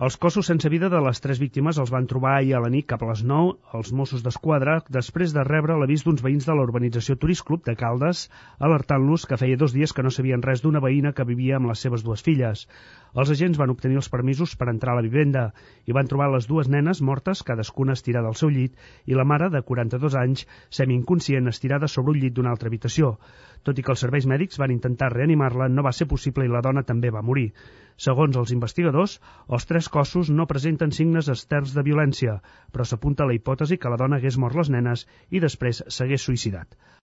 Els cossos sense vida de les 3 víctimes els van trobar ahir a la nit cap a les 9 els Mossos d'Esquadra després de rebre l'avís d'uns veïns de la urbanització Turist Club de Caldes alertant-los que feia 2 dies que no sabien res d'una veïna que vivia amb les seves 2 filles. Els agents van obtenir els permisos per entrar a la vivenda i van trobar les 2 nenes mortes, cadascuna estirada al seu llit, i la mare, de 42 anys, semi-inconscient, estirada sobre un llit d'una altra habitació. Tot i que els serveis mèdics van intentar reanimar-la, no va ser possible i la dona també va morir. Segons els investigadors, els 3 cossos no presenten signes externs de violència, però s'apunta a la hipòtesi que la dona hagués mort les nenes i després s'hagués suïcidat.